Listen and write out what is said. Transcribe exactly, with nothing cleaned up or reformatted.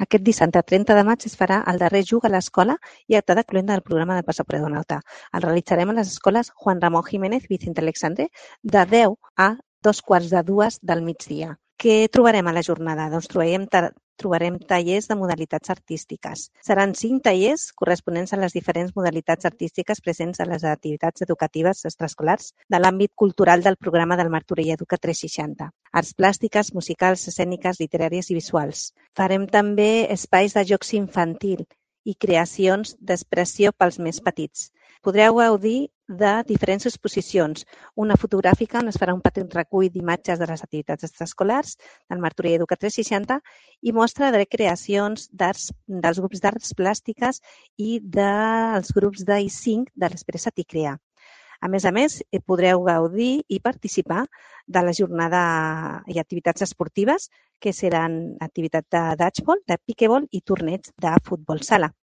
Aquest dissabte trenta de maig es farà el darrer Jug a l'escola i acte de cluenda del programa del Passaport Donauta. El realitzarem a les escoles Juan Ramón Jiménez, Vicente Alexandre, de deu a dos quarts de dues del migdia. Què trobarem a la jornada? Doncs trobarem, trobarem tallers de modalitats artístiques. Seran cinc tallers corresponents a les diferents modalitats artístiques presents a les activitats educatives extraescolars de l'àmbit cultural del programa del Martorell Educa tres seixanta. Arts plàstiques, musicals, escèniques, literàries i visuals. Farem també espais de jocs infantil i creacions d'expressió pels més petits. Podreu gaudir de diferents exposicions. Una fotogràfica on es farà un petit recull d'imatges de les activitats extraescolars del Martorell Educa tres seixanta i mostra de creacions d'arts, dels grups d'arts plàstiques i dels grups d'I cinc de l'Expressat i Crear. A més a més, podreu gaudir i participar de la jornada i activitats esportives, que seran activitat de dodgeball, de piquebol i torneig de futbol sala.